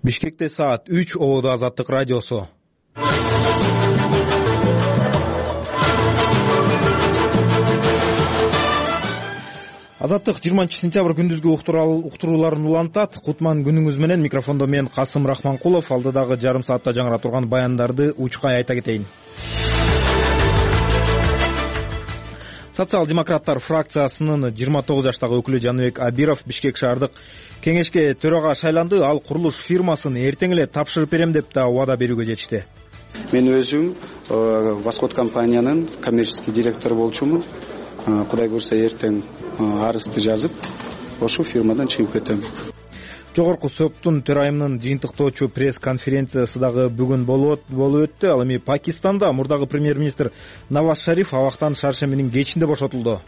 Бишкекте саат 3 ободо Азаттык радиосу. Азаттык 20-сентябрь күндүзгү уктурууларын улантат. Кутман күнүңүз менен. Микрофондо мен Касым Рахманкулов. Алдыдагы жарым саатта жаңыра турган баяндарды учкай айта кетейин. Социал-демократтар фракциясынын 29 жаштагы өкүлү Жаныбек Абиров Бишкек шаардык кеңешке төрага шайланды. Ал курулуш фирмасын эртең эле тапшырып берем деп да убада берүүгө жетишти. Мен өзүм Восход компаниянын коммерческий директору болчумун. Кудай буйрса эртең арызды жазып, ошол фирмадан чыгып кетем. Жогорку соттун төрайымынын жыйынтыктоочу пресс-конференциясы дагы бүгүн болуп өттү. Ал эми Пакистанда мурдагы премьер-министр Наваз Шариф абактан шаршембинин кечинде бошотулду.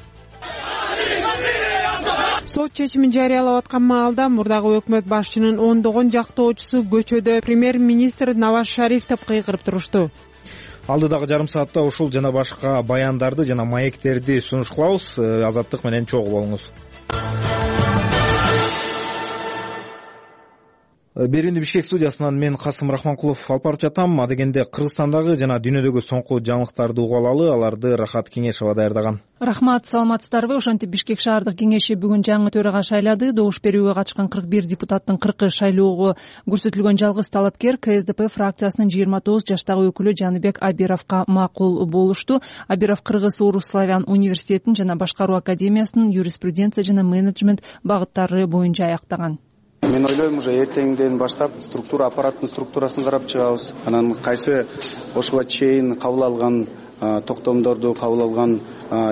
Сот чечимин жарыялап аткан маалда мурдагы өкмөт башчынын ондогон жактоочусу көчөдө премьер-министр Наваз Шарифти кыйгырып турушту. Алдыдагы жарым саатта ушул жана башка баяндарды жана маектерди сунуш кылабыз. Азаттык менен чогуу болуңуз. Берүүнү Бишкек студиясынан мен Касым Рахманкулов алып барып жатам. Адегенде Кыргызстандагы жана дүйнөдөгү соңку жаңылыктарды угуп алалы. Аларды Рахат Кеңешова даярдаган. Рахмат, саламатсыздарбы? Ошентип Бишкек шаардык кеңеши бүгүн жаңы төрага шайлады. Добуш берүүгө катышкан 41 депутаттын 40-ы шайлоого көрсөтүлгөн жалгыз талапкер КСДП фракциясынын 29 жаштагы өкүлү Жаныбек Абировго макул болушту. Абиров Кыргыз Орус Славян университетин жана башкаруу академиясынын юриспруденция жана менеджмент багыттары боюнча аяктаган. Мен ойлойм, уже эртеңден баштап аппараттын структурасын карап чыгабыз. Анан кайсы ошого чейин кабыл алган токтомдорду, кабыл алган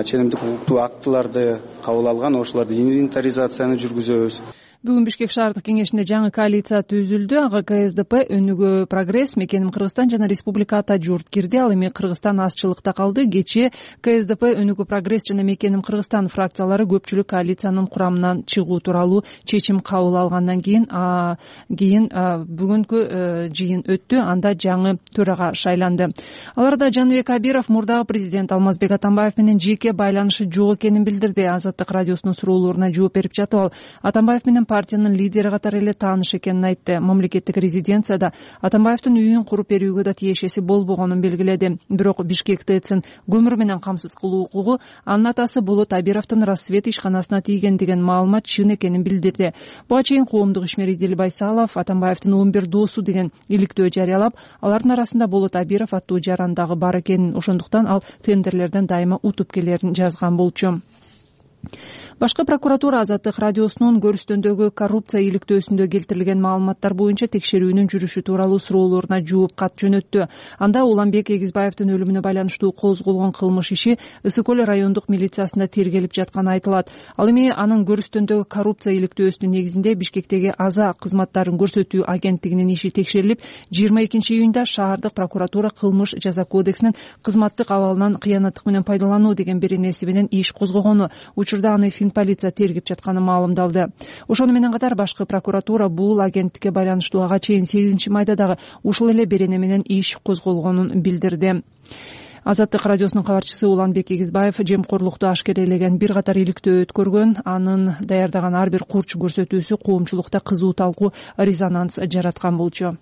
ченемдик укуктуу актыларды кабыл алган, ошолорду инвентаризацияны жүргүзөбүз. Бүгүн Бишкек шаардык кеңешинде жаңы коалиция түзүлдү. Ага КСДП, Өнүгүү Прогресс, Мекеним Кыргызстан жана Республика Ата Журт кирди. Ал эми Кыргызстан азчылыкта калды. Кечээ КСДП, Өнүгүү Прогресс жана Мекеним Кыргызстан фракциялары көпчүлүк коалициянын курамынан чыгуу тууралуу чечим кабыл алгандан кийин бүгүнкү жыйын өттү. Анда жаңы төрага шайланды. Аларда Жаныбек Абиров мурдагы президент Алмазбек Атамбаев менен жеке байланышы жок экенин билдирди. Азаттык радиосунун суроолоруна жооп берип жатып ал Атамбаев менен партиянын лидери катары эле тааныш экенин айтты. Мамлекеттик резиденцияда Атамбаевдин үйүн куруп берүүгө да тиешеси болбогонун белгиледи. Бирок Бишкек ТЭЦин көмүр менен камсыз кылуу укугу анын атасы Болот Абировдун Рассвет ишканасына тийген деген маалымат чын экенин билдирди. Буга чейин коомдук ишмер Идил Байсалов Атамбаевдин 11 досу деген иликтөө жарыялап, алардын арасында Болот Абиров аттуу жаран дагы бар экенин, ошондуктан ал тендерлерден дайыма утуп келерин жазган болчу. Башкы прокуратура Азаттык радиосунун көрүстөндөгү коррупция иликтөөсүндө келтирилген маалыматтар боюнча текшерүүнүн жүрүшү тууралуу суроолоруна жооп кат жөнөттү. Анда Уланбек Эгизбаевдин өлүмүнө байланыштуу козголгон кылмыш иши Ысык көл райондук милициясында тергелип жатканы айтылат. Ал эми анын көрүстөндөгү коррупция иликтөөсүнүн негизинде Бишкектеги Аза кызматтарын көрсөтүү агенттигинин иши текшерилип, 22-июнда шаардык прокуратура кылмыш жаза кодексинин кызматтык абалынан кыянаттык менен пайдалануу деген беренеси менен иш козгогону, учурда аны полиция тергеп жатканы маалымдалды. Ошону менен катар башкы прокуратура бул агенттикке байланыштуу ага чейин 8 майда дагы ушул эле берене менен иш козголгонун билдирди. Азаттык радиосунун кабарчысы Уланбек Эгизбаев жемкорлукту ашкерелеген бир катар иликтөө өткөргөн. Анын даярдаган ар бир курч көрсөтүүсү коомчулукта кызуу талкуу, резонанс жараткан болчу.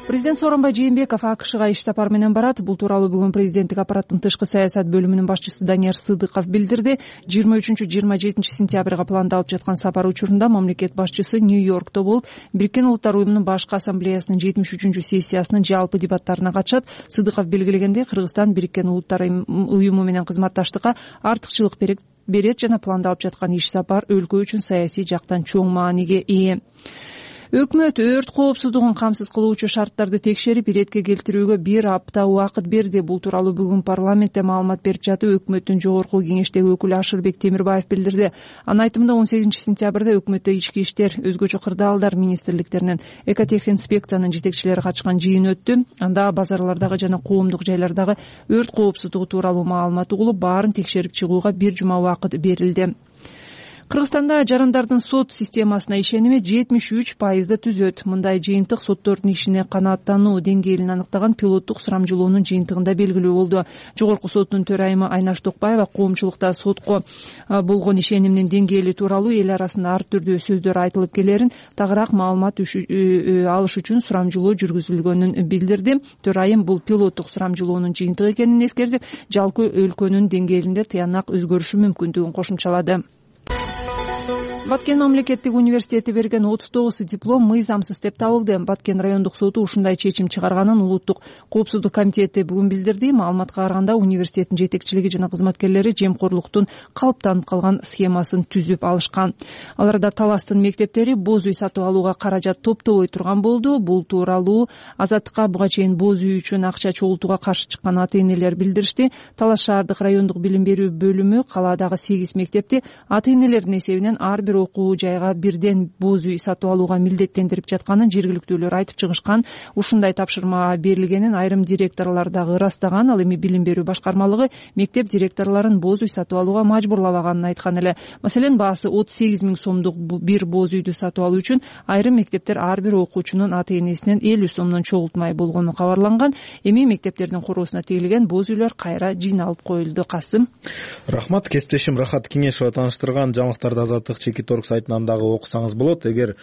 Президент Сооронбай Жээнбеков АКШга иш сапар менен барат. Бул тууралуу бүгүн президенттик аппараттын тышкы саясат бөлүмүнүн башчысы Данияр Сыдыков билдирди. 23-27 сентябрга пландалып жаткан сапар учурунда мамлекет башчысы Нью-Йоркто болуп, Бириккен Улуттар уюмунун башкы ассамблеясынын 73-сессиясынын жалпы дебаттарына катышат. Сыдыков белгилегендей, Кыргызстан Бириккен Улуттар уюму менен кызматташтыкка артыкчылык берет жана пландалып жаткан иш сапар өлкө үчүн саясий жактан чоң мааниге ээ. Өкмөт өрт коопсуздугун камсыз кылуучу шарттарды текшерип, иретке келтирүүгө 1 апта убакыт берди. Бул тууралуу бүгүн парламентте маалымат берип жатып, өкмөттүн жогорку кеңештеги өкүлү Ашырбек Темирбаев билдирди. Анын айтымында 18 сентябрда өкмөттө ички иштер, өзгөчө кырдаалдар министрликтеринен экотехинспекциянын жетекчилери катышкан жыйын өттү. Анда базарлардагы жана коомдук жайлардагы өрт коопсуздугу тууралуу маалымат угулуп, баарын текшерип чыгууга 1 жума убакыт берилди. Кыргызстанда жарандардын сот системасына ишеними 73% түзөт. Мындай жыйынтык соттордун ишине канааттануу деңгээлин аныктаган пилоттук сурамжылоонун жыйынтыгында белгилүү болду. Жогорку соттун төрайымы Айнаш Токпаева коомчулукта сотко болгон ишенимдин деңгээли тууралуу эл арасында ар түрдүү сөздөр айтылып келерин, тагыраак маалымат алыш үчүн сурамжылоо жүргүзүлгөнүн билдирди. Төрайым бул пилоттук сурамжылоонун жыйынтыгы экенин эскертип, жалпы өлкөнүн деңгээлинде тыянак өзгөрүшү мүмкүндүгүн кошумчалады. Баткен мамлекеттик университети берген 39 диплом мыйзамсыз деп табылды. Баткен райондук соту ушундай чечим чыгарганын Улуттук коопсуздук комитети бүгүн билдирди. Маалыматка караганда университеттин жетекчилиги жана кызматкерлери жемкорлуктун калыптанып калган схемасын түзүп алышкан. Аларда Таластын мектептери боз үй сатып алууга каражат топтобой турган болду. Бул тууралуу Азаттыкка буга чейин боз үй үчүн акча чогултууга каршы чыккан ата-энелер билдиришти. Талас шаардык райондук билим берүү бөлүмү калаадагы 8 мектепти ата-энелердин эсебинен ар бир окуу жайга бирден боз үй сатып алууга милдеттендирип жатканын жергиликтүүлөр айтып чыгышкан. Ушундай тапшырма берилгенин айрым директорлор дагы ырастаган. Ал эми билим берүү башкармалыгы мектеп директорлорун боз үй сатып алууга мажбурлабаганын айткан эле. Маселен, баасы 38 000 сомдук бир боз үйдү сатып алуу үчүн айрым мектептер ар бир окуучунун ата-энесинен 50 сомдон чогултмай болгону кабарланган. Эми мектептердин куруусуна тегилген боз үйлөр кайра жыйналып коюлду. Касым. Рахмат. Кесиптешим Рахат Кеңешова тааныштырган жаңылыктарды Азаттык Чекиторг сайтынан дагы окусаңыз болот. Эгер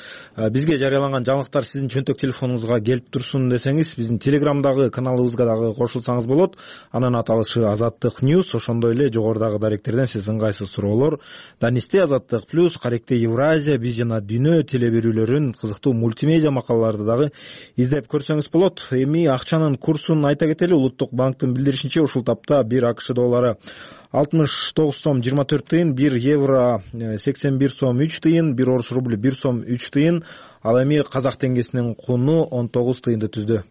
бизге жарыяланган жаңылыктар сиздин чөнтөк телефонуңузга келип турсун десеңиз, биздин Телеграмдагы каналыбызга дагы кошулсаңыз болот. Анын аталышы Азаттык Ньюс. Ошондой эле жогорудагы даректерден сиз ыңгайсыз суроолор, Данисте Азаттык Плюс, Каректе Евразия, Биз жана Дүйнө теле берүүлөрүн, кызыктуу мультимедиа макалаларды дагы издеп көрсөңүз болот. Эми акчанын курсун айта кетели. Улуттук банктын билдиришинче, ушул тапта 1 АКШ доллары 69 сом 24 тыйын, 1 евро 81 сом 3 тыйын, 1 орус рубль 1 сом 3 тыйын, ал эми казак теңгесинин куну 19 тыйынды түздү.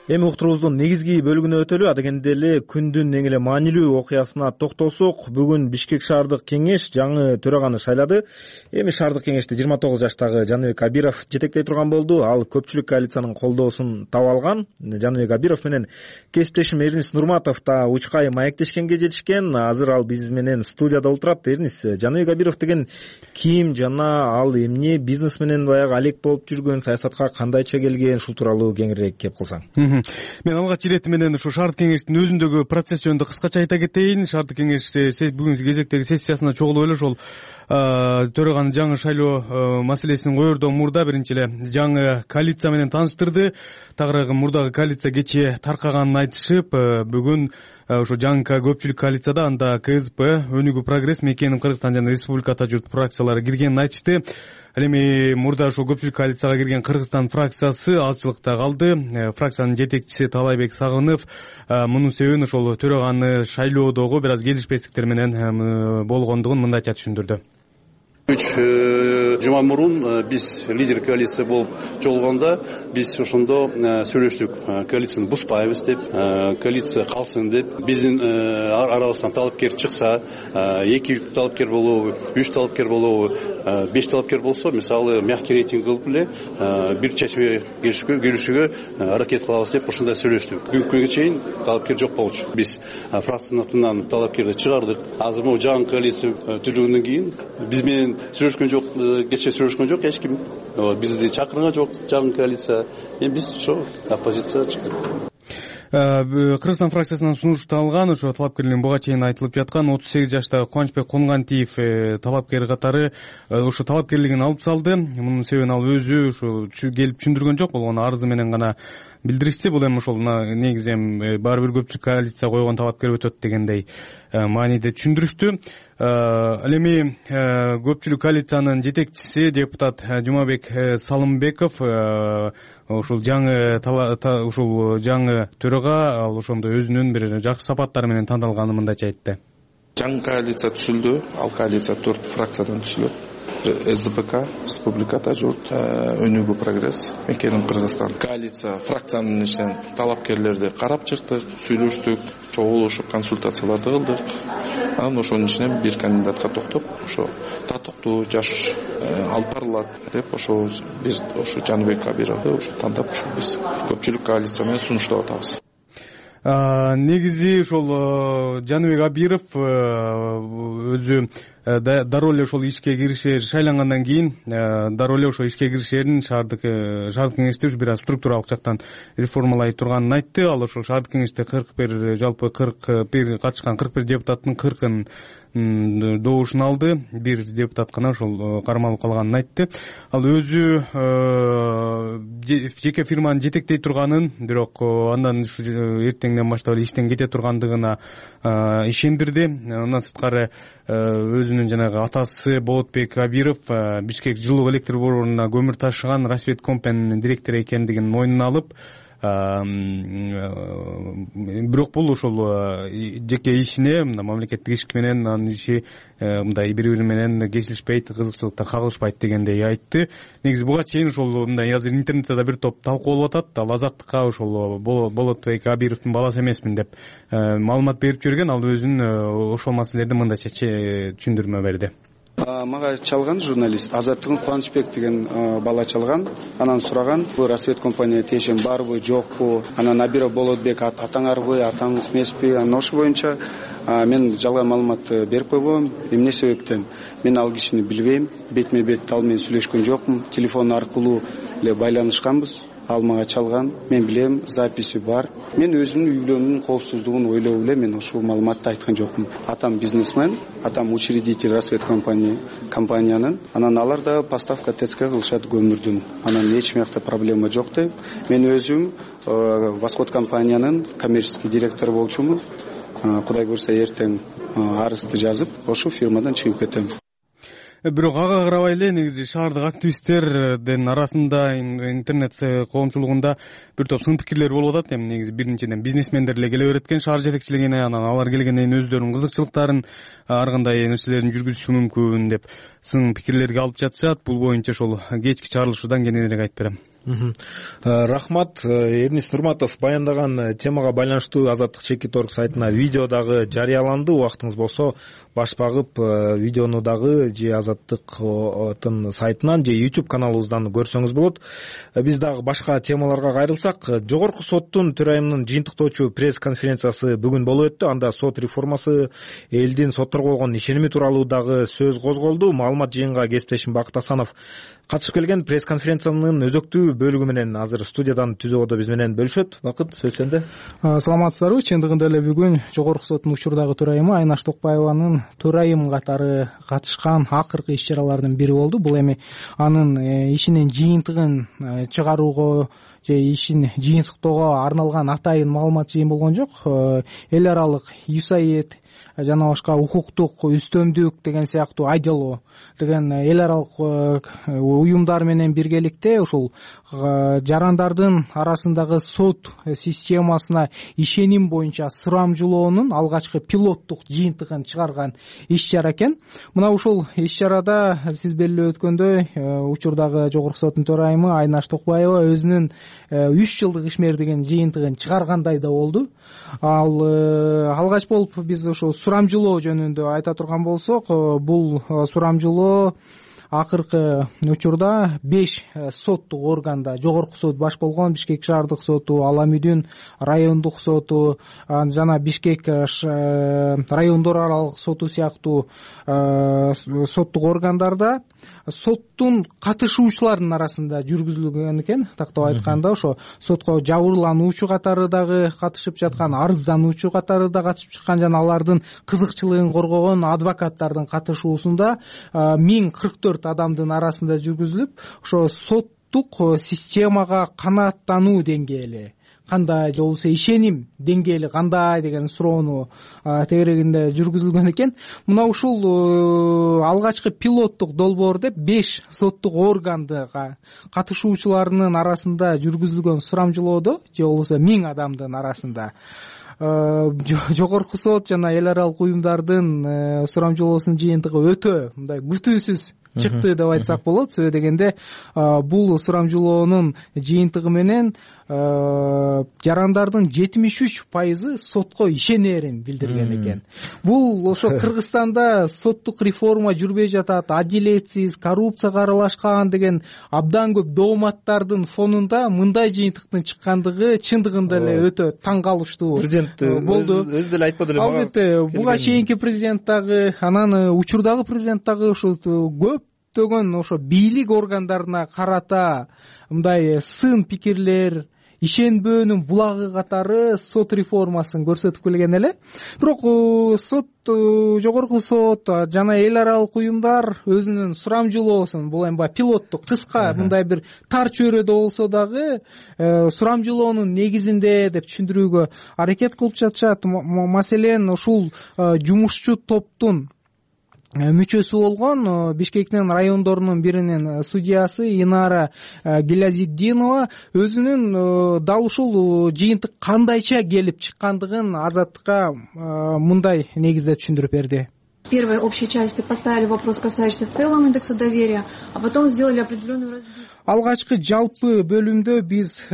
Эми уктуруубуздун негизги бөлүгүнө өтөлү. Адегенде эле күндүн эң эле маанилүү окуясына токтолсок, бүгүн Бишкек шаардык кеңеш жаңы төраганы шайлады. Эми шаардык кеңешти 29 жаштагы Жаныбек Абиров жетектей турган болду. Ал көпчүлүк коалициянын колдоосун таба алган. Жаныбек Абиров менен кесиптешим Эрнис Нурматов да учкай маектешкенге жетишкен. Азыр ал биз менен студияда отурат. Эрнис, Жаныбек Абиров деген ким жана ал эмне бизнес менен баягы алек болуп жүргөн, саясатка кандайча келген, ушул тууралуу кеңирээк кеп кылсаң. Мен алгач ирети менен ушу шаардык кеңештин өзүндөгү процесс жөнүндө кыскача айта кетейин. Шаардык кеңеш бүгүнкү кезектеги сессиясына чогулуп эле ошол төраганы жаңы шайлоо маселесин коердон мурда биринчи эле жаңы коалиция менен тааныштырды. Тагыраагы мурдагы коалиция кечээ таркаганын айтышып, бүгүн ошо жаңы көпчүлүк коалицияда анда КСП, Өнүгүү Прогресс, Мекеним Кыргызстан жана Республика Ата журт фракциялары киргенин айтышты. Ал эми мурда ошо көпчүлүк коалицияга кирген Кыргызстан фракциясы азчылыкта калды. Фракциянын жетекчиси Талайбек Сагынов мунун себебин ошол төраганы шайлоодогу бир аз келишпестиктер менен болгондугун мындайча түшүндүрдү. 3 жума мурун биз лидер коалиция болуп жолуганда биз ошондо сүйлөштүк. Коалицияны бузпайбыз деп, коалиция калсын деп. Биздин арабыздан талапкер чыкса, 2 талапкер болобу, 3 талапкер болобу, 5 талапкер болсо, мисалы мягкий рейтинг кылып эле бир чечимге келишүүгө аракет кылабыз деп ошондой сүйлөштүк. Бүгүнкү күнгө чейин талапкер жок болчу. Биз фракциянын атынан талапкерди чыгардык. Азыр могу жаңы коалиция түзүлгөндөн кийин биз менен сүйлөшкөн жок, кечээ сүйлөшкөн жок эч ким. Бизди чакырган жок жаңы коалиция. Эми биз ошо оппозиция чыктык. Кыргызстан фракциясынан сунушталган ошо талапкерлердин буга чейин айтылып жаткан 38 жаштагы Кубанычбек Кунгантиев талапкер катары ошо талапкерлигин алып салды. Мунун себебин ал өзү ошо келип түшүндүргөн жок, болгону арызы менен гана билдиришти. Бул эми ошол негизи эми баары бир көпчүлүк коалиция койгон талапкер өтөт дегендей мааниде түшүндүрүштү. Ал эми көпчүлүк коалициянын жетекчиси депутат Жумабек Салымбеков ушул жаңы төрага ал ошондой өзүнүн бир жакшы сапаттары менен тандалганын мындайча айтты. Жаңы коалиция түзүлдү. Ал коалиция 4 фракциядан түзүлөт. СДПК, Республика Ата журт, Өнүгүү Прогресс, Мекеним Кыргызстан. Коалиция фракциянын ичинен талапкерлерди карап чыктык, сүйлөштүк, чогулуштук, консультацияларды кылдык. Анан ошонун ичинен бир кандидатка токтоп, ошо татыктуу жаш алып барылат деп ошо биз ошо Жаныбек Абировду ошо тандап ошо биз көпчүлүк коалиция менен сунуштап атабыз. Негизи ошол Жаныбек Абиров өзү дароо эле ошол ишке киришер, шайлангандан кийин дароо эле ошол ишке киришерин шаардык кеңеште ушу бир аз структуралык жактан реформалай турганын айтты. Ал ошол шаардык кеңеште 41 жалпы 41 катышкан 41 депутаттын 40-ын добушун алды. Бир депутат гана ошол кармалып калганын айтты. Ал өзү жеке фирманы жетектей турганын, бирок андан ушу эртеңден баштап эле иштен кете тургандыгына ишендирди. Андан сырткары өзүнүн жанагы атасы Болотбек Абиров Бишкек жылуу электр борборунда көмүр ташыган Рассвет компаниянын директору экендигин мойнуна алып, бирок бул ошол жеке ишине мамлекеттик иш менен анын иши мындай бири менен кесилишпейт, кызыкчылыктар кагылышпайт дегендей айтты. Негизи буга чейин ошол мындай азыр интернетте да бир топ талкуу болуп атат. Ал Азаттыкка ошол Болотбек Абировдун баласы эмесмин деп маалымат берип жүргөн. Ал өзүнүн ошол маселелерди мындайча түшүндүрмө берди. Мага чалган журналист Азаттыгын Кубанычбек деген бала чалган. Анан сураган, бул Рассвет компания тиешен барбы, жокпу? Анан Абиров Болотбек атаңарбы, атаңыз эмеспи? Анан ошол боюнча мен жалган маалымат берип койгом. Эмне себептен? Мен ал кишини билбейм, бетме бет ал менен сүйлөшкөн жокмун. Телефон аркылуу эле байланышканбыз. Ал мага чалган, мен билем, записи бар. Мен өзүмдүн үй-бүлөмдүн коопсуздугун ойлоп эле мен ошол маалыматты айткан жокмун. Атам бизнесмен, атам учредитель Рассвет компаниянын. Анан алар да поставка ТЦК кылышат көмүрдүн. Анан эч мякта проблема жок дейм. Мен өзүм Восход компаниянын коммерческий директору болчумун. Кудай көрсө эртең арызды жазып, ошол фирмадан чыгып кетем. Бирок ага карабай эле негизи шаардык активисттердин арасында интернет коомчулугунда бир топ сын пикирлер болуп атат. Эми негизи биринчиден бизнесмендер эле келе берет экен шаар жетекчилигине, анан алар келгенден кийин өздөрүнүн кызыкчылыктарын ар кандай нерселерин жүргүзүшү мүмкүн деп сын пикирлерге алып жатышат. Бул боюнча ошол кечки чыгарылышуудан кененирээк айтып берем. Рахмат. Эрнис Нурматов баяндаган темага байланыштуу Азаттык Чекиторг сайтына видео дагы жарыяланды. Убактыңыз болсо баш багып видеону дагы же Азаттыктын сайтынан же YouTube каналыбыздан көрсөңүз болот. Биз дагы башка темаларга кайрылсак, Жогорку соттун төрайымынын жыйынтыктоочу пресс конференциясы бүгүн болуп өттү. Анда сот реформасы, элдин сотторго болгон ишеними тууралуу дагы сөз козголду. Маалымат жыйынга кесиптешим Бакыт Асанов катышып келген. Пресс конференциянын өзөктүү бөлүгү менен азыр студиядан түзөбодо биз менен бөлүшөт. Бакыт, сөз сенде. Саламатсыздарбы? Чындыгында эле бүгүн Жогорку соттун учурдагы төрайымы Айнаш Токпаеванын төрайым катары катышкан акыркы иш-чаралардын бири болду. Бул эми анын ишинин жыйынтыгын чыгарууга же ишин жыйынтыктоого арналган атайын маалымат жыйын болгон жок. Эл аралык USAID жана башка укуктук үстөмдүк деген сыяктуу ILO деген эл аралык уюмдар менен биргеликте ушул жарандардын арасындагы сот системасына ишеним боюнча сурамжылоонун алгачкы пилоттук жыйынтыгын чыгарган иш-чара экен. Мына ушул иш-чарада сиз белгилеп өткөндөй учурдагы Жогорку соттун төрайымы Айнаш Токпаева өзүнүн 3 жылдык ишмердигин жыйынтыгын чыгаргандай да болду. Ал алгач болуп биз ошо сурамжылоо жөнүндө айта турган болсок, бул сурамжылоо акыркы учурда 5 соттук органда, Жогорку сот баш болгон Бишкек шаардык соту, Ала Мүдүн райондук соту жана Бишкек райондор аралык соту сыяктуу соттук органдарда соттун катышуучуларынын арасында жүргүзүлгөн экен. Тактап айтканда ошо сотко жабырлануучу катары дагы катышып жаткан, арыздануучу катары да катышып чыккан жана алардын кызыкчылыгын коргогон адвокаттардын катышуусунда 1044 адамдын арасында жүргүзүлүп, ошо соттук системага канааттануу деңгээли кандай, же болбосо ишеним деңгээли кандай деген суроону тегерегинде жүргүзүлгөн экен. Мына ушул алгачкы пилоттук долбоор деп 5 соттук органдыга катышуучуларынын арасында жүргүзүлгөн сурамжылоодо, же болбосо 1000 адамдын арасында Жогорку сот жана эл аралык уюмдардын сурамжылоосунун жыйынтыгы өтө мындай күтүүсүз чыкты деп айтсак болот. Себеби дегенде бул сурамжылоонун жыйынтыгы менен жарандардын 73% сотко ишенерин билдирген экен. Бул ошо Кыргызстанда соттук реформа жүрбөй жатат, адилетсиз, коррупцияга аралашкан деген абдан көп дооматтардын фонунда мындай жыйынтыктын чыккандыгы чындыгында эле өтө таң калыштуу болду. Өзү деле айтпады эле. Албетте, буга чейинки президент дагы, анан учурдагы президент дагы ушул көптөгөн ошо бийлик органдарына карата мындай сын пикирлер, ишенбөөнүн булагы катары сот реформасын көрсөтүп келген эле. Бирок жогорку сот жана эл аралык уюмдар өзүнүн сурамжылоосун, бул эми пилоттук кыска мындай бир тар чөйрөдө болсо дагы сурамжылоонун негизинде деп түшүндүрүүгө аракет кылып жатышат. Маселен, ушул жумушчу топтун мүчөсү болгон Бишкектин райондорунун биринин судьясы Инара Гилязитдинова өзүнүн дал ушул жыйынтык кандайча келип чыккандыгын Азаттыкка мындай негизде түшүндүрүп берди. В первой общей части поставили вопрос, касающийся в целом индекса доверия, а потом сделали определенную разбивку. Алгачкы жалпы бөлүмдө биз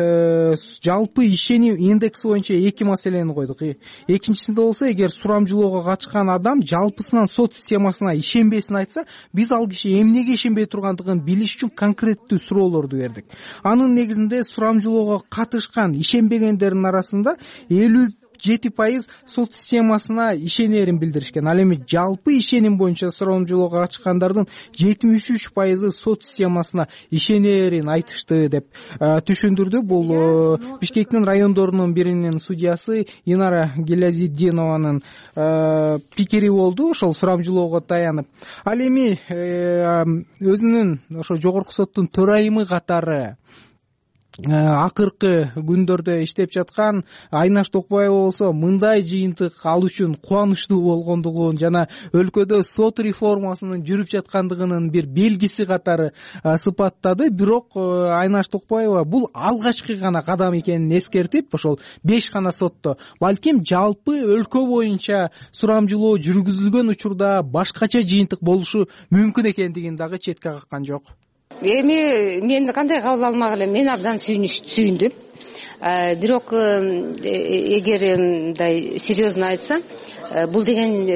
жалпы ишеним индекси боюнча эки маселени койдук. Экинчисинде болсо, эгер сурамжылоого катышкан адам жалпысынан сот системасына ишенбесин айтса, биз ал киши эмнеге ишенбей тургандыгын билиш үчүн конкреттүү суроолорду бердик. Анын негизинде сурамжылоого катышкан ишенбегендердин арасында 57% сот системасына ишенерин билдиришкен. Ал эми жалпы ишеним боюнча сурамжылоого катышкандардын 73% сот системасына ишенерин айтышты деп түшүндүрдү. Бул Бишкектин райондорунун биринин судьясы Инара Гилязитдинованын пикири болду, ошол сурамжылоого таянып. Ал эми өзүнүн ошо жогорку соттун төрайымы катары акыркы күндөрдө иштеп жаткан Айнаш Токпаева болсо мындай жыйынтык ал үчүн кубанычтуу болгондугун жана өлкөдө сот реформасынын жүрүп жаткандыгынын бир белгиси катары сыпаттады. Бирок Айнаш Токпаева бул алгачкы гана кадам экенин эскертип, ошол 5 гана сотто, балким жалпы өлкө боюнча сурамжылоо жүргүзүлгөн учурда башкача жыйынтык болушу мүмкүн экендигин дагы четке каккан жок. Эми мен кандай кабыл алмак элем, мен абдан сүйүндүм. Бирок эгер мындай серьезно айтсам, бул деген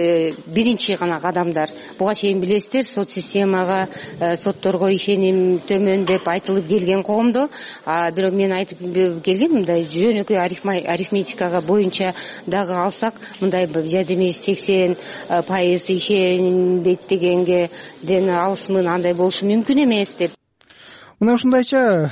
биринчи гана кадамдар. Буга чейин билесиздер, сот системага, сотторго ишеним төмөн деп айтылып келген коомдо, бирок мен айтып келгем, мындай жөнөкөй арифметикага боюнча дагы алсак, мындай 70-80% ишенбейт дегенге ден алысмын, андай болушу мүмкүн эмес деп. Мына ушундайча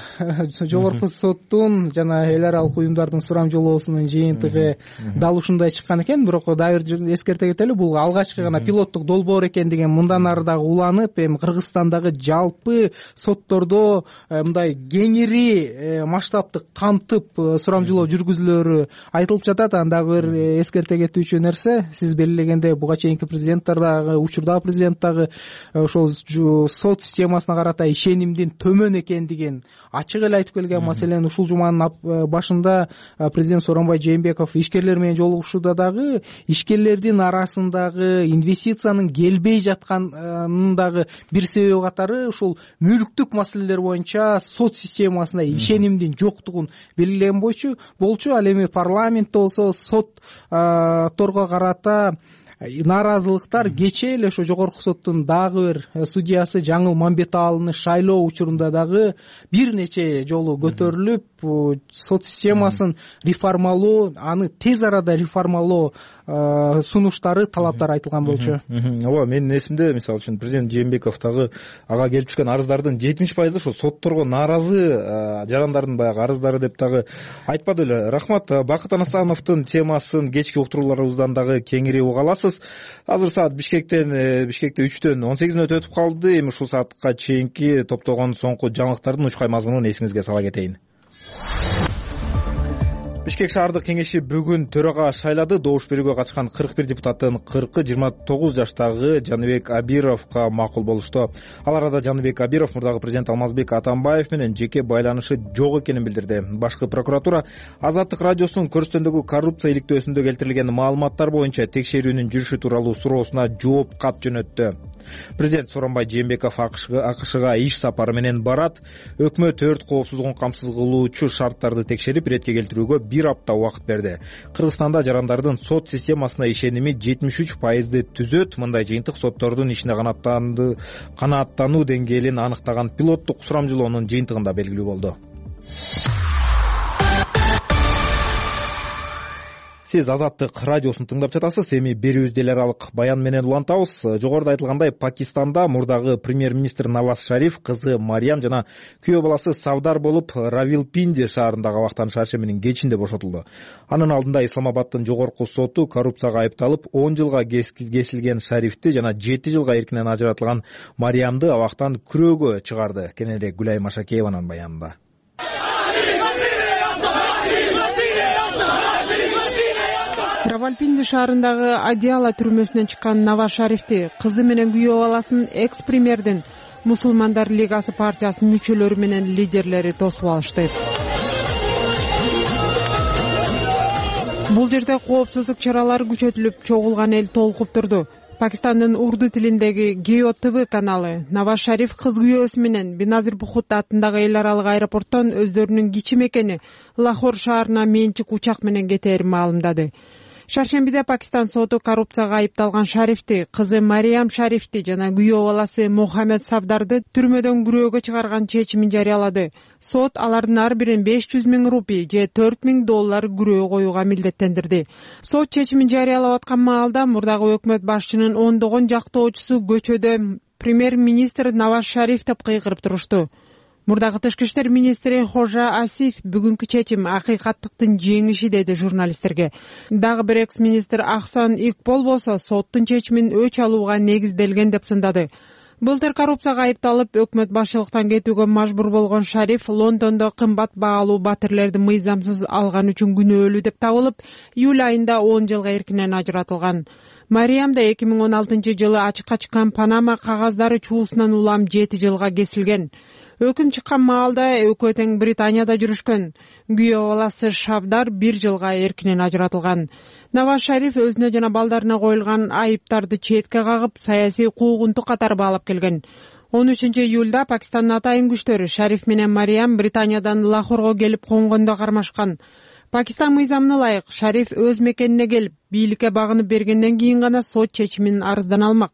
жогорку соттун жана эл аралык уюмдардын сурамжылоосунун жыйынтыгы дал ушундай чыккан экен. Бирок дагы бир эскерте кетели, бул алгачкы гана пилоттук долбоор экендигин мындан ары дагы уланып, эми Кыргызстандагы жалпы соттордо мындай кеңири масштабтык камтып сурамжылоо жүргүзүлөрү айтылып жатат. Андагы бир эскерте кетүүчү нерсе, сиз белгилегендей, буга чейинки президенттер дагы, учурдагы президент дагы ошол сот системасына карата ишенимдин төмөн экендигин ачык эле айтып келген. Маселен, ушул жуманын башында президент Сооронбай Жээнбеков ишкерлер менен жолугушууда дагы ишкерлердин арасындагы инвестициянын келбей жатканынын дагы бир себеби катары ушул мүлктүк маселелер боюнча сот системасына ишенимдин жоктугун белгилеген болчу. Ал эми парламентте болсо сотторго карата нааразылыктар кечээ эле ошо жогорку соттун дагы бир судьясы Жаңыл Мамбетаалыны шайлоо учурунда дагы бир нече жолу көтөрүлүп, сот системасын реформалоо, аны тез арада реформалоо сунуштары, талаптары айтылган болчу. Ооба, менин эсимде, мисалы үчүн президент Жээнбеков дагы ага келип түшкөн арыздардын 70% ошо сотторго нааразы жарандардын баягы арыздары деп дагы айтпады эле. Рахмат. Бакыт Анасановдун темасын кечки уктурууларыбыздан дагы кеңири уга аласыз. Азыр саат Бишкекте 3-төн 18 өтүп калды. Эми ушул саатка чейинки топтогон соңку жаңылыктардын учкай мазмунун эсиңизге сала кетейин. Бишкек шаардык кеңеши бүгүн төрага шайлады. Добуш берүүгө катышкан 41 депутаттын 40-ы 29 жаштагы Жаныбек Абировго макул болушту. Ал арада Жаныбек Абиров мурдагы президент Алмазбек Атамбаев менен жеке байланышы жок экенин билдирди. Башкы прокуратура Азаттык радиосунун көрсөтөндөгү коррупция иликтөөсүндө келтирилген маалыматтар боюнча текшерүүнүн жүрүшү тууралуу суроосуна жооп кат жөнөттү. Президент Сооронбай Жээнбеков АКШга иш сапары менен барат. Өкмөт өрт коопсуздугун камсыз кылуучу шарттарды текшерип, иретке келтирүүгө 1 апта убакыт берди. Кыргызстанда жарандардын сот системасына ишеними 73% түзөт. Мындай жыйынтык соттордун ишине канааттануу деңгээлин аныктаган пилоттук сурамжылоонун жыйынтыгында белгилүү болду. Сиз Азаттык радиосун тыңдап жатасыз. Эми берүүбүздү эл аралык баян менен улантабыз. Жогоруда айтылгандай, Пакистанда мурдагы премьер-министр Наваз Шариф кызы Мариям жана күйөө баласы Савдар болуп, Равилпинди шаарындагы абактан шаршембинин кечинде бошотулду. Анын алдында Исламабаддын жогорку соту коррупцияга айыпталып 10 жылга кесилген Шарифти жана 7 жылга эркинен ажыратылган Мариямды абактан күрөөгө чыгарды. Кененирээк Гүлай Машакееванын баянында. Равилпинди шаарындагы Адиала түрмөсүнөн чыккан Наваз Шарифти кызы менен күйөө баласын экс-премьердин Мусулмандар лигасы партиясынын мүчөлөрү менен лидерлери тосуп алышты. Бул жерде коопсуздук чаралары күчөтүлүп, чогулган эл толкуп турду. Пакистандын урду тилиндеги Гео ТВ каналы Наваз Шариф кыз күйөөсү менен Беназир Бухут аттындагы эл аралык аэропорттон өздөрүнүн кичи мекени Лахор шаарына менчик учак менен кетээрин маалымдады. Шаршембиде Пакистан соту коррупцияга айыпталган Шарифти, кызы Мариям Шарифти жана күйөө баласы Мухаммед Савдарды түрмөдөн күрөөгө чыгарган чечимин жарыялады. Сот алардын ар бирин 500 000 рупий же $4000 күрөө коюуга милдеттендирди. Сот чечимин жарыялап аткан маалда мурдагы өкмөт башчынын ондогон жактоочусу көчөдө премьер-министр Наваз Шариф деп кыйкырып турушту. Мурдагы тышкы иштер министри Хожа Асиф бүгүнкү чечим акыйкаттыктын жеңиши деди журналисттерге. Дагы бир экс-министр Ахсан Икбол болсо соттун чечимин өч алууга негизделген деп сындады. Былтыр коррупцияга айыпталып, өкмөт башчылыктан кетүүгө мажбур болгон Шариф Лондондо кымбат баалуу батирлерди мыйзамсыз алган үчүн күнөөлүү деп табылып, июль айында 10 жылга эркинен ажыратылган. Мариям да 2016 жылы ачыкка чыккан Панама кагаздары чуусунан улам 7 жылга кесилген. Өкүм чыккан маалда экөө тең Британияда жүрүшкөн. Күйөө баласы Савдар 1 жылга эркинен ажыратылган. Наваз Шариф өзүнө жана балдарына коюлган айыптарды четке кагып, саясий куугунтук катары баалап келген. 13 июлда Пакистандын атайын күчтөрү Шариф менен Мариям Британиядан Лахорго келип конгондо кармашкан. Пакистан мыйзамына ылайык Шариф өз мекенине келип, бийликке багынып бергенден кийин гана сот чечимин арыздан алмак.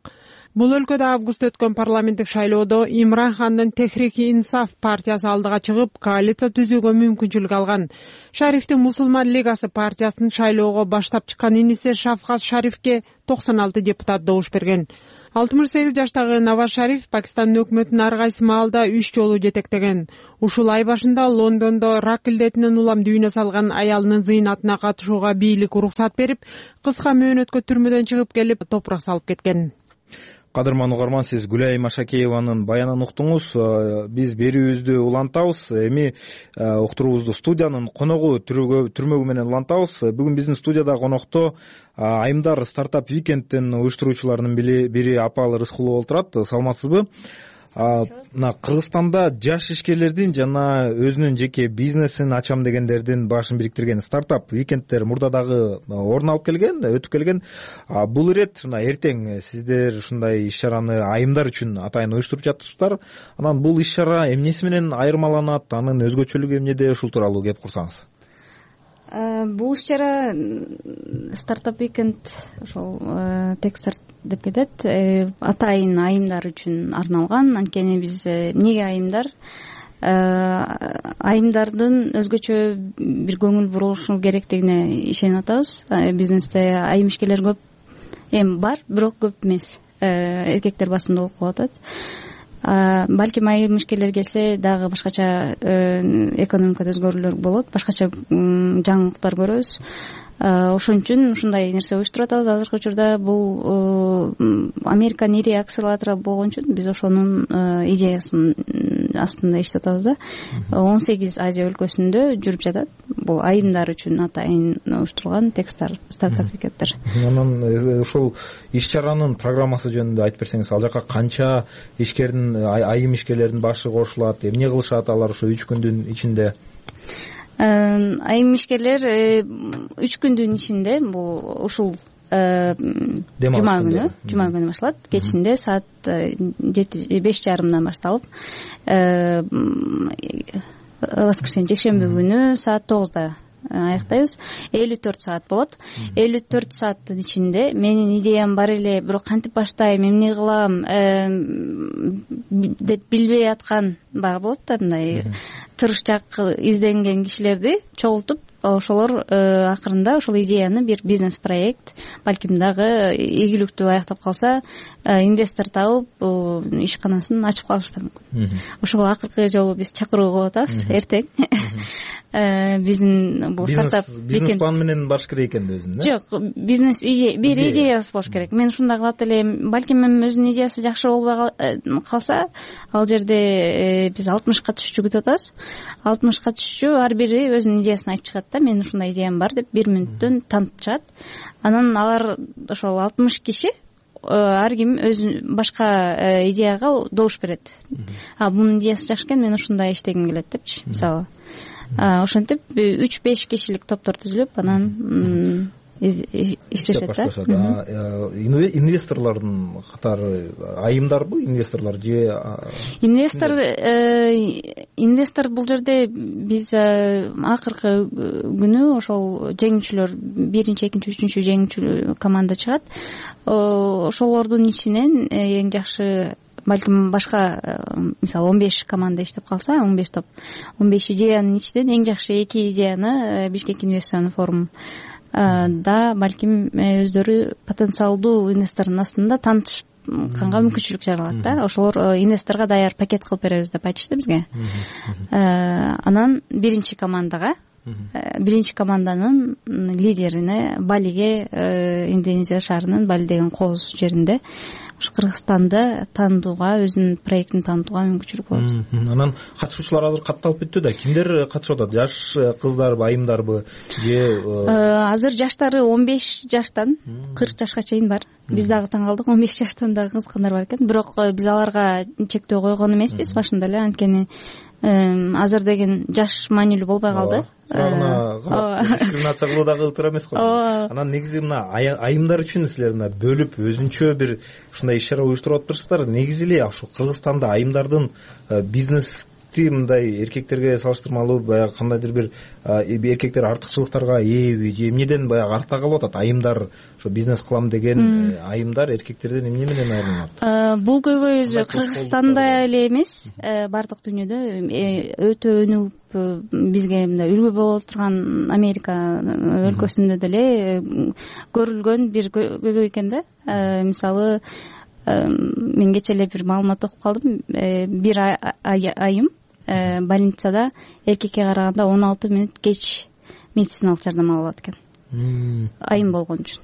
Бул өлкөдө август өткөн парламенттик шайлоодо Имран Хандын Техрик-и-Инсаф партиясы алдыга чыгып, коалиция түзүүгө мүмкүнчүлүк алган. Шарифтин Мусулман лигасы партиясын шайлоого баштап чыккан иниси Шафкат Шарифке 96 депутат добуш берген. 68 жаштагы Наваз Шариф Пакистандын өкмөтүн ар кайсы маалда 3 жолу жетектеген. Ушул ай башында Лондондо рак илдетинен улам дүйнө салган аялынын зыйнатына катышууга бийлик уруксат берип, кыска мөөнөткө түрмөдөн чыгып келип, топурак салып кеткен. Кадырман угарман, сиз Гүлай Машакееванын баянын уктуңуз. Биз берүүбүздү улантабыз. Эми уктуруубузду студиянын коногу түрмөгү менен улантабыз. Бүгүн биздин студияда конокто Айымдар стартап викендтин уюштуруучуларынын бири Апал Рыскулова отурат. Саламатсызбы? Мына Кыргызстанда жаш ишкерлердин жана өзүнүн жеке бизнесин ачам дегендердин башын бириктирген стартап викендтер мурда дагы орун алып келген, өтүп келген. Бул ирет мына эртең сиздер ушундай иш-чараны айымдар үчүн атайын уюштуруп жатырсыздар. Анан бул иш-чара эмнеси менен айырмаланат, анын өзгөчөлүгү эмнеде, ушул тууралуу кеп курсаңыз. Бул иш-чара стартап викенд ошол Techstart деп кетет. Атайын айымдар үчүн арналган. Анткени биз эмнеге айымдар? Айымдардын өзгөчө бир көңүл бурулушу керектигине ишенип атабыз. Бизнесте айым ишкерлер көп бар, бирок көп эмес. Эркектер басымдуулук болуп атат. Балким айым ишкерлер келсе дагы башкача экономикада өзгөрүүлөр болот, башкача жаңылыктар көрөбүз. Ошон үчүн ушундай нерсе уюштуруп атабыз. Азыркы учурда бул Американын ири акселератору болгон үчүн биз ошонун идеясын астында иштеп атабыз да. 18 Азия өлкөсүндө жүрүп жатат. Бул айымдар үчүн атайын уюштурулган Techstart стартап викендтер. Анан ушул иш-чаранын программасы жөнүндө айтып берсеңиз, ал жака канча ишкердин, айым ишкерлердин башы кошулат, эмне кылышат алар ошо 3 күндүн ичинде? Айым ишкерлер 3 күндүн ичинде бул ушул жума күнү башталат. Кечинде саат 5:30 башталып, воскресенье жекшемби күнү саат 9 аяктайбыз. 54 саат болот. 54 сааттын ичинде менин идеям бар эле, бирок кантип баштайм, эмне кылам деп билбей аткан баягы болот да, мындай тырышчаак изденген кишилерди чогултуп, ошолор акырында ошол идеяны бир бизнес проект, балким дагы ийгиликтүү аяктап калса, инвестор табып ишканасын ачып калышы мүмкүн. Ошого акыркы жолу биз чакыруу кылып атабыз эртең. Биздин бул стартап бизнес план менен барыш керек экен да өзүнүн. Жок, бизнес бир идеясы болуш керек. Мен ушундай кылат элем, балким өзүнүн идеясы жакшы болбой калса, ал жерде биз 60 катышуучу күтүп атабыз. 60 катышуучу ар бири өзүнүн идеясын айтып чыгат да, менин ушундай идеям бар деп 1 мүнөттөн танытып чыгат. Анан алар ошол 60 киши ар ким өзүнүн башка идеяга добуш берет. Бунун идеясы жакшы экен, мен ушундай иштегим келет депчи, мисалы. Ошентип 3-5 кишилик топтор түзүлүп, анан иштешет да. Инвесторлордун катары айымдарбы, инвесторлор же инвестор бул жерде биз акыркы күнү ошол жеңүүчүлөр 1-2, 3 жеңүүчү команда чыгат. Ошолордун ичинен эң жакшы, балким башка, мисалы 15 команда иштеп калса, 15 топ, 15 идеянын ичинен эң жакшы 2 идеяны Бишкек инвестицион форум да балким өздөрү потенциалдуу инвестордун астында танышканга мүмкүнчүлүк жаралат да. Ошолор инвесторго даяр пакет кылып беребиз деп айтышты бизге. Анан биринчи команданын лидерине Балиге, Индонезия шаарынын Бали деген кооз жеринде Кыргызстанды таанытууга, өзүнүн проектин таанытууга мүмкүнчүлүк болот. Анан катышуучулар азыр катталып бүттү да. Кимдер катышып атат? Жаш кыздарбы, айымдарбы же? Азыр жаштары 15 жаштан 40 жашка чейин бар. Биз дагы таң калдык, 15 жаштан дагы кызыккандар бар экен. Бирок биз аларга чектөө койгон эмеспиз башында эле, анткени азыр деген жаш маанилүү болбой калды. Дискриминация кылуу дагы ылтыр эмес го. Анан негизи мына айымдар үчүн силер мына бөлүп өзүнчө бир ушундай иш-чара уюштуруп атыптырсыздар. Негизи эле ошо Кыргызстанда айымдардын бизнес мындай эркектерге салыштырмалуу баягы кандайдыр бир эркектер артыкчылыктарга ээби же эмнеден баягы артта калып атат? Айымдар ошо бизнес кылам деген айымдар эркектерден эмне менен айырылат? Бул көйгөй өзү Кыргызстанда эле эмес, бардык дүйнөдө өтө өнүгүп, бизге мындай үлгү боло турган Америка өлкөсүндө деле көрүлгөн бир көйгөй экен да. Мисалы, мен кечээ эле бир маалымат окуп калдым. Бир айым больницада эркекке караганда 16 мүнөт кеч медициналык жардам ала алат экен. Айым болгон үчүн.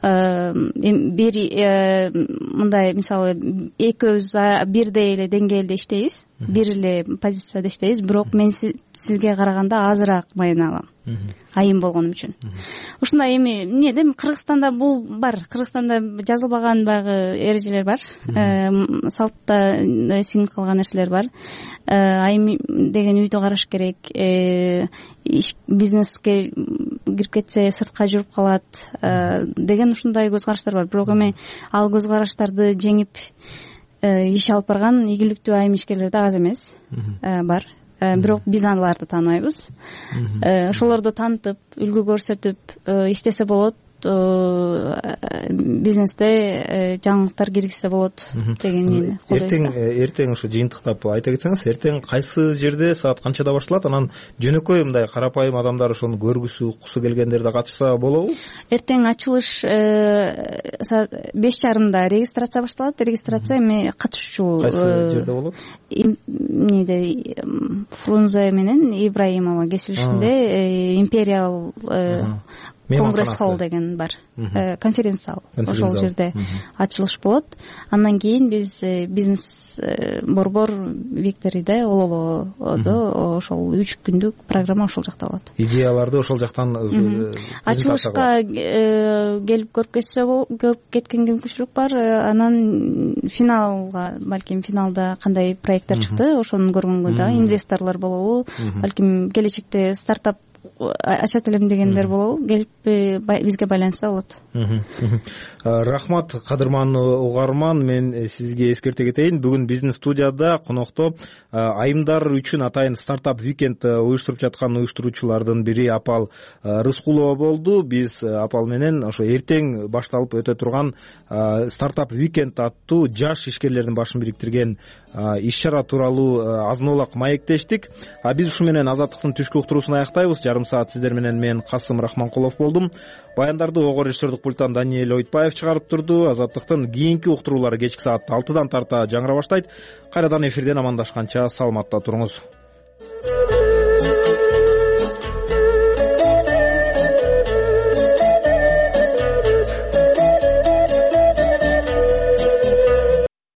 Бир мындай, мисалы, экөөбүз бирдей эле деңгээлде иштейбиз, бир эле позицияда иштейбиз, бирок мен сизге караганда азыраак майына алам, айым болгон үчүн. Ушундай эми эмнеде Кыргызстанда бул бар. Кыргызстанда жазылбаган баягы эрежелер бар, салтта сиңип калган нерселер бар. Айым деген үйдү караш керек, бизнеске кирип кетсе сыртка жүрүп калат деген ушундай көз караштар бар. Бирок эми ал көз караштарды жеңип иш алып барган ийгиликтүү айым ишкерлер да аз эмес бар. Бирок биз аларды тааныбайбыз. Ошолорду таанытып, үлгү көрсөтүп иштесе болот. Бизнесте жаңылыктар киргизсе болот деген. Эртең ушу жыйынтыктап айта кетсеңиз, эртең кайсы жерде, саат канчада башталат? Анан жөнөкөй мындай карапайым адамдар ошону көргүсү, уккусу келгендер да катышса болобу? Эртең ачылыш саат 5:30 регистрация башталат. Регистрация эми катышуучу кайсы жерде болот? Эмнеде Фрунзе менен Ибраимова кесилишинде Империал Конгресс холл деген бар, конференция зал. Ошол жерде ачылыш болот. Андан кийин биз бизнес борбор Викториде Ололодо ошол 3 күндүк программа ошол жакта болот. Идеяларды ошол жактан ачылышка келип көрүп кеткенге мүмкүнчүлүк бар. Анан финалга, балким финалда кандай проекттер чыкты, ошону көргөнгө дагы инвесторлор болобу, балким келечекте стартап ачат элем дегендер болобу, келип бизге байланышса болот. Рахмат кадырмандуу угарман, мен сизге эскерте кетейин, бүгүн биздин студияда конокто айымдар үчүн атайын стартап викенд уюштуруп жаткан уюштуруучулардын бири Апал Рыскулова болду. Биз Апал менен ошо эртең башталып өтө турган стартап викенд аттуу жаш ишкерлердин башын бириктирген иш чара тууралуу азын-аулак маектештик. Биз ушу менен Азаттыктын түшкү уктуруусун аяктайбыз. Жарым саат сиздер менен мен Касым Рахманкулов болдум. Баяндарды ого режиссердик пульттан Даниэль Ойтбаев чыгарып турду. Азаттыктын кийинки уктуруулары кечки саат 6-дан тарта жаңыра баштайт. Кайрадан эфирден амандашканча саламатта туруңуз.